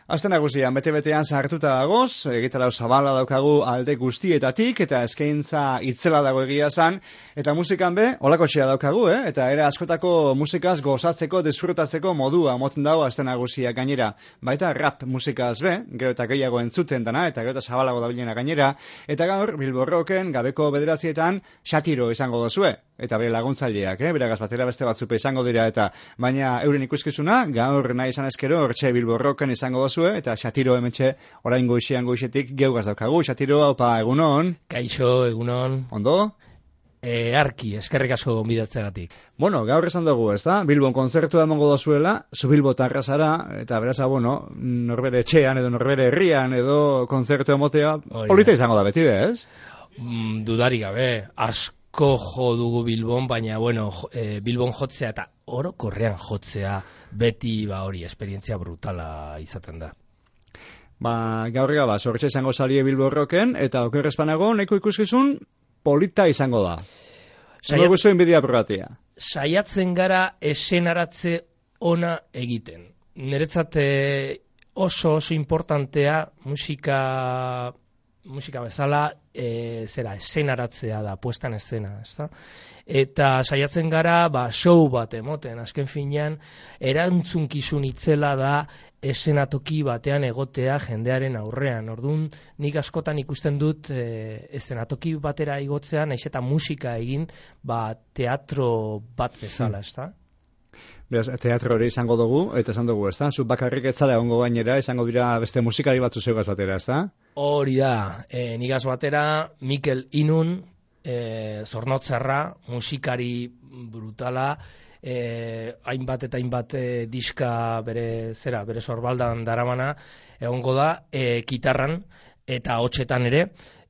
Aste nagusian, bete-betean sartuta dagoz, egitarau zabala daukagu alde guztietatik, eta eskaintza itzela dago egia zan, eta musikan be, holako txea daukagu, eta era askotako musikaz gozatzeko, disfrutatzeko modua moten dago aste nagusia gainera. Baita rap musikaz be, gero eta gehiago entzuten dana, eta gero eta zabalago dabilena gainera, eta gaur, Bilbo Rocken gabeko 9etan Xatiro izango dozue, eta bere laguntzaileak, beragaz batera beste batzupe izango dira, eta baina euren ikuskizuna, gaur nahi izan ezkero, hortxe Bilbo Rocken izango dozue, eta Xatiro hementxe orain goizetik geugaz daukagu. Xatiro, haupa, egunon. Kaixo, egunon. Ondo? Arki, eskerrik asko gonbidatzegatik. Bueno, gaur esan dugu, ezta? Bilbon kontzertua emango dozuela, zu Bilbotarra zara, eta beraz, norbere etxean edo norbere herrian edo kontzertu emotea, polita izango da beti, ez? Dudarik gabe, asko jo dugu Bilbon, baina, Bilbon jotzea eta orokorrean jotzea beti hori esperientzia brutala izaten da. Gaurrega, sortxe izango zalie Bilbo Rocken, eta okerrezpanago, neko ikuskizun polita izango da. Saiatzen gara esenaratze ona egiten. Niretzat oso importantea musika bezala esenaratzea da, puestan escena, ezta? Eta saiatzen gara, show bat emoten, azken finean, erantzunkizun itzela da esenatoki batean egotea jendearen aurrean. Orduan, nik askotan ikusten dut esenatoki batera igotzea, naiz eta musika egin, teatro bat bezala, ezta? Beraz, teatro hori izango dugu, eta esan dugu, ezta? Zu bakarrik etzala egongo gainera, izango dira beste musikari batzu zeugaz batera, ezta? Hori da, nigaz batera, Mikel Inun, Zornotzarra, musikari brutala, hainbat eta hainbat diska bere sorbaldan daramana, egongo da, kitarran eta hotxetan ere,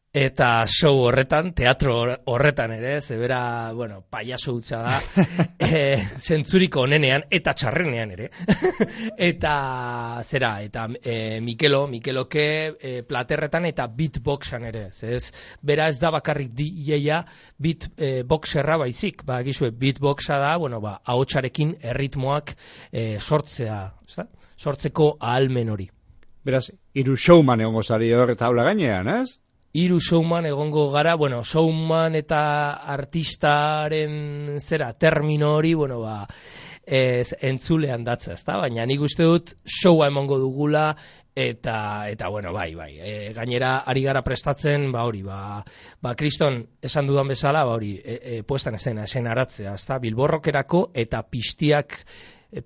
eta show horretan, teatro horretan ere, zebera, payaso hutsa da, zentzuriko onenean eta txarrenean ere. eta Mikeloke platerretan eta beatboxan ere. Bera ez da bakarrik DJa beatboxerra baizik. Gizue, beatboxa da, ahotsarekin erritmoak sortzeko ahalmen hori. Beraz, 3 showman egongo zari hor eta aula gainean, ez? 3 showman egongo gara, showman eta artistaren termino hori, entzulean datza, ezta? Baina nik uste dut showa emongo dugula eta gainera ari gara prestatzen, kriston esan dudan bezala, puestan esenaratzea, ezta? Bilbo Rockerako eta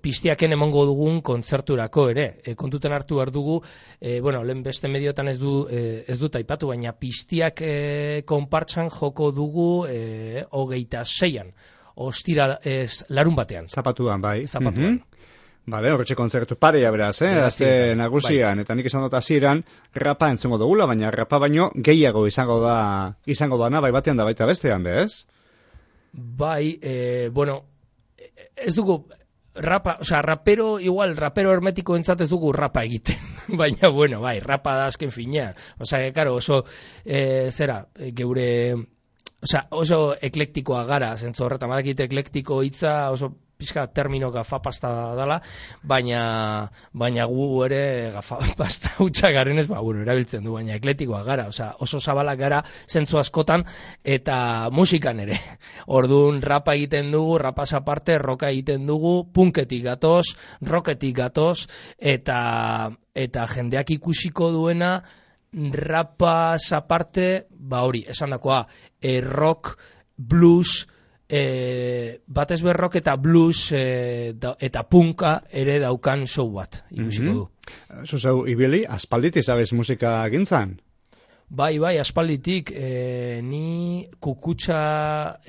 piztiaken emongo dugun kontzerturako ere. Kontuten hartu behar dugu, lehen beste mediotan ez dut aipatu, baina piztiak konpartsan joko dugu 26an, larun batean. Zapatuan, bai. Zapatuan. Horretxe kontzertu parea beraz, azte nagusian, eta nik esan dut hasieran rapa entzungo dugula, baina rapa baino gehiago izango dana, bai batean da baita bestean, bez? Ez dugu rapero hermetiko entzat ez dugu rapa egiten. Baina, rapa da azken finean. Oso, geure, oso eklektikoa gara, zentzu horretan, badakit eklektiko hitza, oso pixka termino gafapasta dala, baina gu ere gafapasta hutsa garenez, erabiltzen du, baina ekletikoa gara, oso zabalak gara zentzu askotan, eta musikan ere. Orduan rapa egiten dugu, rapaz aparte, roka egiten dugu, punketik gatoz, rocketik gatoz, eta jendeak ikusiko duena, rapaz aparte, esan dakoa, rock, blues, batez rock eta blues eta punka ere daukan show bat ikusiko du. Zuzeu, ibili, aspaldit izabez musika gintzan? Bai, aspalditik, ni kukutxa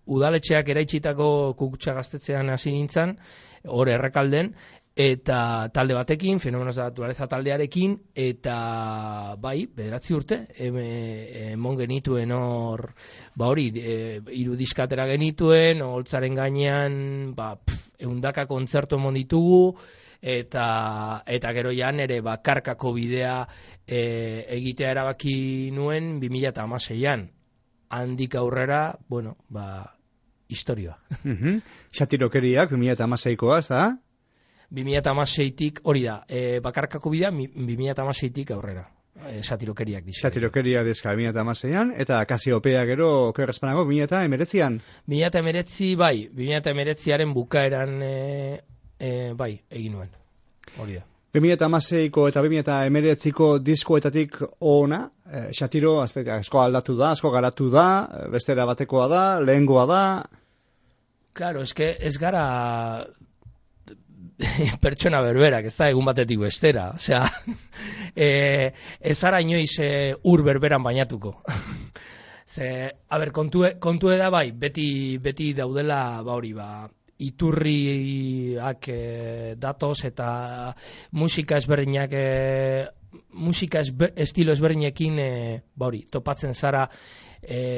udaletxeak eraitsitako kukutxa gaztetzean hasi nintzen, hor Errekalden, eta talde batekin, Fenómenos de la Naturaleza taldearekin, eta 9 urte, emon genituen hor, 3 diskatera genituen, holtzaren gainean, 100 kontzertu emon ditugu, eta gero jan ere bakarkako bidea egitea erabaki nuen 2016an. Handik aurrera, historioa. Xatirokeriak 2016koa, ez da? 2016tik, hori da, bakarkako bidea 2016tik aurrera. Satirokeriak diska. Satirokeria diska 2016an, eta Kasiopea gero okerrezpanago 2019an. 2019, bai, 2019aren bukaeran bai, egin nuen. Hori da. 2016ko eta 2019ko diskoetatik ona, Satiro asko aldatu da, asko garatu da, bestera batekoa da, lehengoa da. Claro, ez gara pertsona berberak, ez da egun batetik bestera. Osea, ez zara inoiz ur berberan bainatuko. Ze, kontue da bai, beti daudela, hori, iturriak datoz eta musika ezberdinak estilo ezberdinekin hori, topatzen zara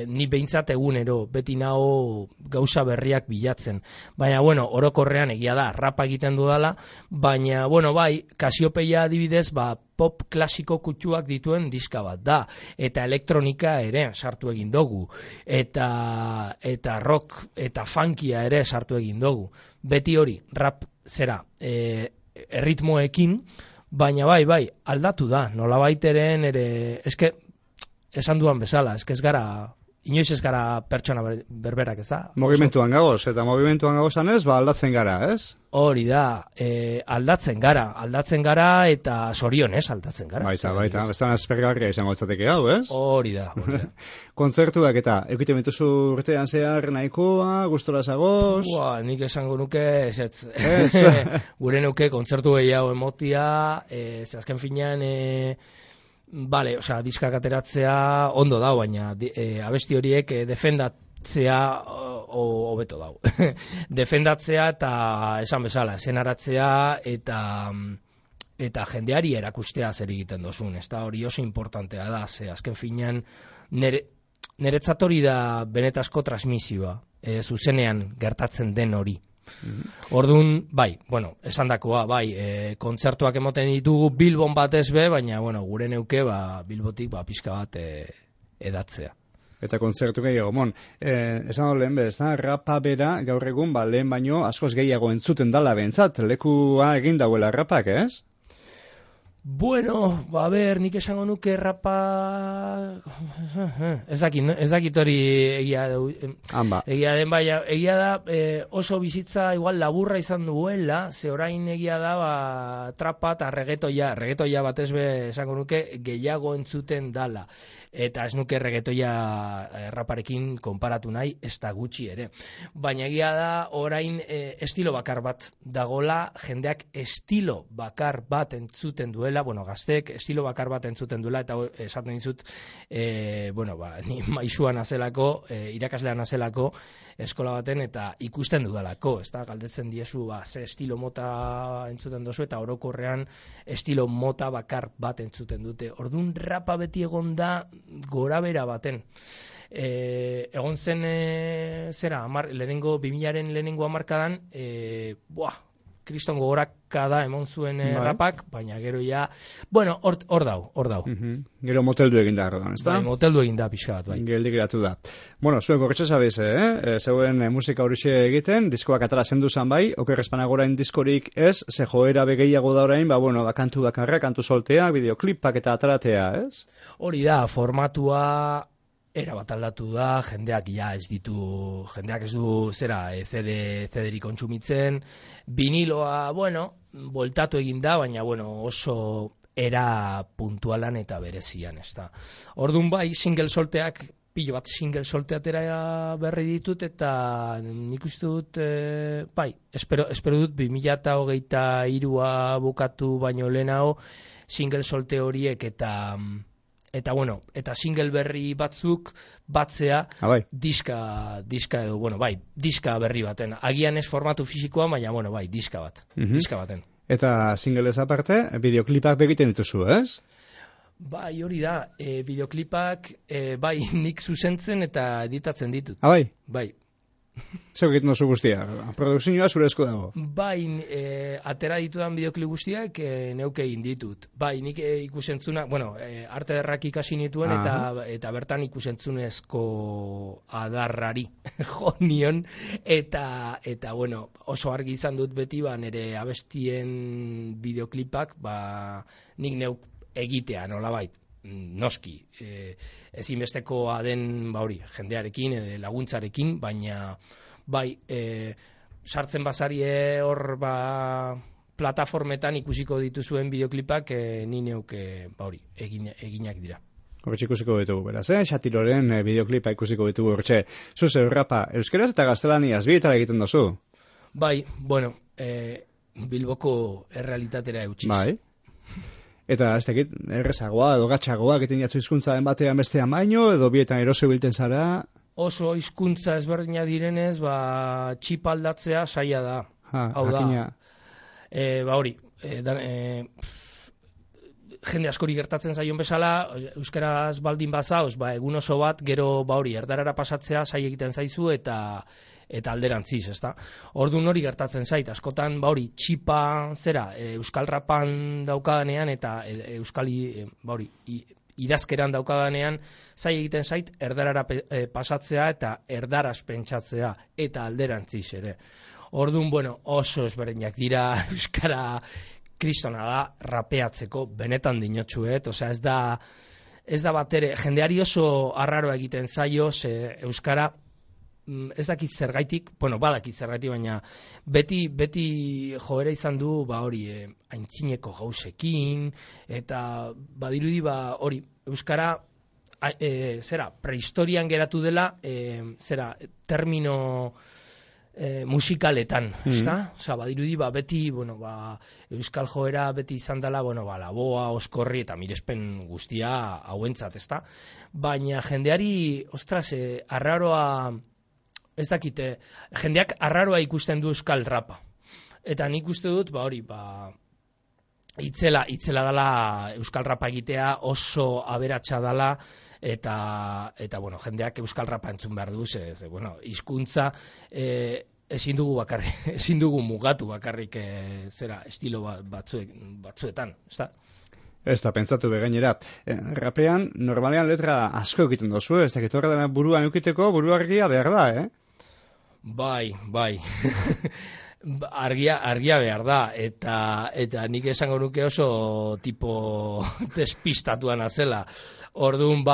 ni behintzat egunero, beti nago gauza berriak bilatzen. Baina, bueno, orokorrean egia da, rapa egiten dudala, baina, bueno, bai, Kasiopeia adibidez, pop klasiko kutsuak dituen diska bat da, eta elektronika ere sartu egin dugu, eta rock eta funkia ere sartu egin dugu. Beti hori, rap zera, erritmoekin, baina bai, aldatu da, nolabaiteren ere, eske, esan duan bezala, ez gara, inoiz ez gara pertsona berberak, ez da? Mogimentuan gagoz, eta mogimentuan gagozan ez, aldatzen gara, ez? Hori da, aldatzen gara, eta zorionez aldatzen gara. Baita, bestan aspergarria izango etzateke hau, ez? Hori da. Kontzertuak eta, eukiten bituzu urtean zehar nahikoa, gustora zagoz? Nik esango nuke, ez. Gure nuke kontzertu gehiago emotia, azken finean, Bale, osea, diskak ateratzea ondo dau, baina abesti horiek defendatzea hobeto dau. Defendatzea eta esan bezala, esenaratzea eta jendeari erakustea zer egiten dozun. Ez da hori oso importantea da, ze azken finean niretzat hori da benetazko transmisioa, zuzenean gertatzen den hori. Orduan, bai, bueno, esandakoa, bai, kontzertuak emoten ditugu Bilbon batez be, baina, bueno, gure neuke, Bilbotik, pixka bat edatzea. Eta kontzertu gehiago, esan hor lehen bez, rapa bera, gaur egun, lehen baino, askoz gehiago entzuten dala behintzat, lekua egin dauela rapak, ez? Bueno, nik esango nuke rapa... Ez dakit hori egia den, baina egia da oso bizitza igual laburra izan duela, ze orain egia da trapa eta reggaetoia batez be esango nuke gehiago entzuten dala. Eta ez nuke reggaetoia raparekin konparatu nahi, ez da gutxi ere. Baina egia da orain estilo bakar bat dagola, jendeak estilo bakar bat entzuten duela, gazteek estilo bakar bat entzuten duela, eta esaten dizut, ni maisua nazelako, irakaslea nazelako, eskola baten, eta ikusten dudalako, ez da, galdetzen diezu, ze estilo mota entzuten dozu, eta orokorrean estilo mota bakar bat entzuten dute. Orduan rapa beti egon da gorabera baten. Egon zen, lehenengo, 2000aren lehenengo hamarkadan, kriston gogorakada emon zuen rapak, baina gero ja, hor dau. Gero moteldu egin da, ez da? Moteldu egin da, pixka bat, bai. Geldik geratu da. Zuen korretxe zabez, zeuen musika horixe egiten, diskoak atara zendu zan bai, okerrezpanagorain diskorik ez, ze joera begeiago da orain, kantu bakarra, kantu soltea, bideoklipak eta ataratea, ez? Hori da, formatua... Era bat aldatu da, jendeak ez du CD-rik kontsumitzen, viniloa, voltatu egin da, baina, oso era puntualan eta berezian, ez da. Orduan bai, single solteak, pilo bat single solteatera berri ditut, eta nik uste dut, espero dut 2023a bukatu baino lehenago, single solte horiek eta single berri batzuk batzea diska edo, diska berri baten. Agian ez formatu fisikoa, baina, diska bat. Diska baten. Eta singlez aparte, bideoklipak begiten dituzu, ez? Bai, hori da. Bideoklipak, nik zuzentzen eta editatzen ditut. Bai? Bai. Zeu egiten duzu guztia, produkzioa zure esku dago. Bai, atera ditudan bideoklip guztiak neuke egin ditut. Bai, nik ikusentzuna, arte derrak ikasi nituen eta bertan ikusentzunezko adarrari jo nion eta oso argi izan dut beti nire abestien bideoklipak nik neuk egitea nolabait. Noski, ezinbestekoa den jendearekin, laguntzarekin, baina bai, sartzen basarie hor plataformetan ikusiko dituzuen bideoklipak ni neuk eginak dira. Hortxe ikusiko ditugu, beraz, Xatiloren bideoklipa ikusiko ditugu hortxe. Zuze, rapa, euskeraz eta gaztelaniaz bietara egiten dozu? Bai, Bilboko errealitatera eutxiz. Bai. Eta ez dakit, errezagoa edo gatxagoa egiten jatzu hizkuntzaren batean bestean baino, edo bietan eroso bilten zara? Oso hizkuntza ezberdina direnez, txipa aldatzea saia da. Hau da. Jende askori gertatzen zaion bezala, euskaraz baldin bazauz, egun oso bat, gero erdarara pasatzea saia egiten zaizu eta alderantziz, ezta? Orduan hori gertatzen zait, askotan txipa euskal rapan daukadanean eta idazkeran daukadanean zai egiten zait erdarara pasatzea eta erdaraz pentsatzea eta alderantziz ere. Orduan, oso ezberdinak dira euskara kristona da rapeatzeko, benetan dinotxuet, osea ez da bat ere, jendeari oso arraroa egiten zaio, euskara ez dakit zergaitik, badakit zergaitik, baina beti joera izan du, aintzineko gauzekin, eta badirudi euskara, prehistorian geratu dela, termino musikaletan, ezta? Osea, badirudi beti, euskal joera beti izan dela, laboa, oskorri eta mirespen guztia hauentzat, ezta? Baina jendeari, arraroa ez dakite, jendeak arraroa ikusten du euskal rapa. Eta nik uste dut, itzela dela euskal rapa egitea, oso aberatsa dela, eta jendeak euskal rapa entzun behar du, hizkuntza ezin dugu mugatu bakarrik estilo batzuetan, ezta? Ez da, pentsatu begainera. Rapean, normalean letra asko egiten dozu, ez dakit horre dena buruan eukiteko, buruargia behar da, Bai. Argia behar da, eta nik esango nuke oso tipo despistatuan azela. Orduan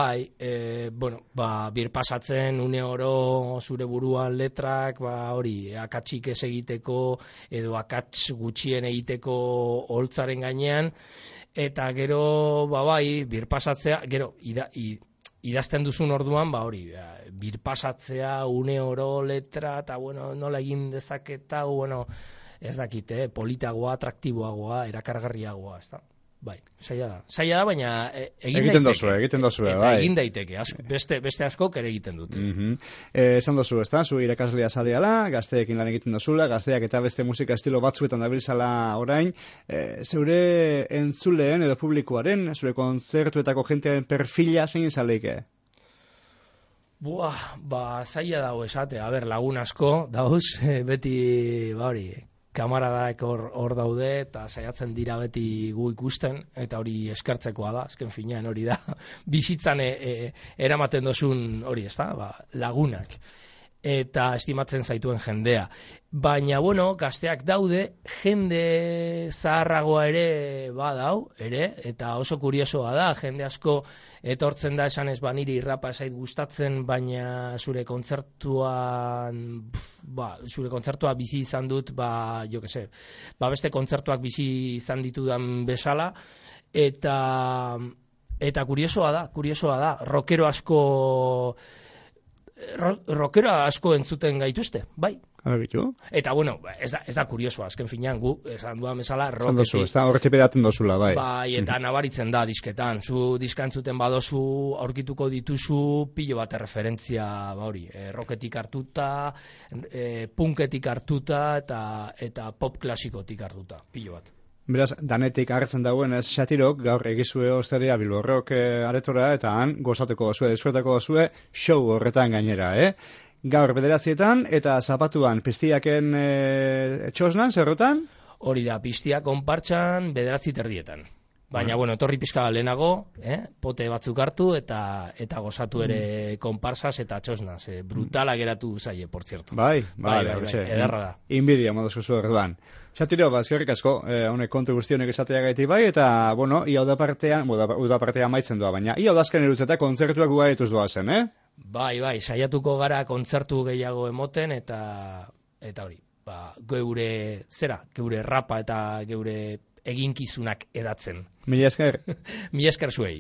birpasatzen une oro zure buruan letrak, akatsik ez egiteko, edo akats gutxien egiteko holtzaren gainean, eta gero, birpasatzea, gero, idazten duzun orduan, birpasatzea, une oro letra, eta, nola egin dezaketa, ez dakite, politagoa, atraktiboagoa, erakargarriagoa, ez da. Bai, saia da, baina egiten dozue, bai. Egin daiteke, beste askok ere egiten dute. Esan dozu, ez da, zu irakaslea zareala, gazteekin lan egiten dozula, gazteak eta beste musika estilo batzuetan dabiltzala orain, zeure entzuleen edo publikoaren, zure kontzertuetako jentearen perfila zein izaleike? Zaila dago esate, lagun asko, dauz, beti, kamaradaek hor daude, eta saiatzen dira beti gu ikusten, eta hori eskertzekoa da, azken finean hori da, bizitzan eramaten dozun hori, ez da, lagunak, eta estimatzen zaituen jendea. Baina, gazteak daude, jende zaharragoa ere badau, eta oso kuriosoa da, jende asko etortzen da esan ez niri rapa zait gustatzen, baina zure kontzertua bizi izan dut, beste kontzertuak bizi izan ditudan bezala, eta kuriosoa da, rockero asko entzuten gaituzte, bai. Eta, ez da kuriosoa, azken finean gu, esan duan bezala, rocketik. Ez da horretik beratzen dozula, bai. Bai, eta nabaritzen da disketan. Zu diska entzuten badozu, aurkituko dituzu, pilo bat referentzia, rocketik hartuta, punketik hartuta, eta pop klasikotik hartuta, pilo bat. Beraz, danetik agertzen dagoen ez Xatirok, gaur egizue osteria Bilborrok aretora, eta han gozateko dozue, desfrutako dozue, show horretan gainera, gaur 9:00 eta zapatuan piztiaken txosnan, zerrotan? Hori da, piztia konpartxan 9:30. Baina, bueno, etorri pizka lehenago, pote batzuk hartu eta gozatu ere konparsas eta txosnaz. Brutala geratu zaie, por cierto. Bai, ederra da. Inbidia moduz zu orduan. Xatiro, eskerrik asko, honek kontu guzti honek esatea gaiti bai, eta, bueno, ia udapartean maitzen doa, baina ia udazken erutzeta kontzertuak gugaituz doa zen, Bai, saiatuko gara kontzertu gehiago emoten, eta hori, geure rapa eta geure eginkizunak edatzen. Mila esker. Mila esker zuei.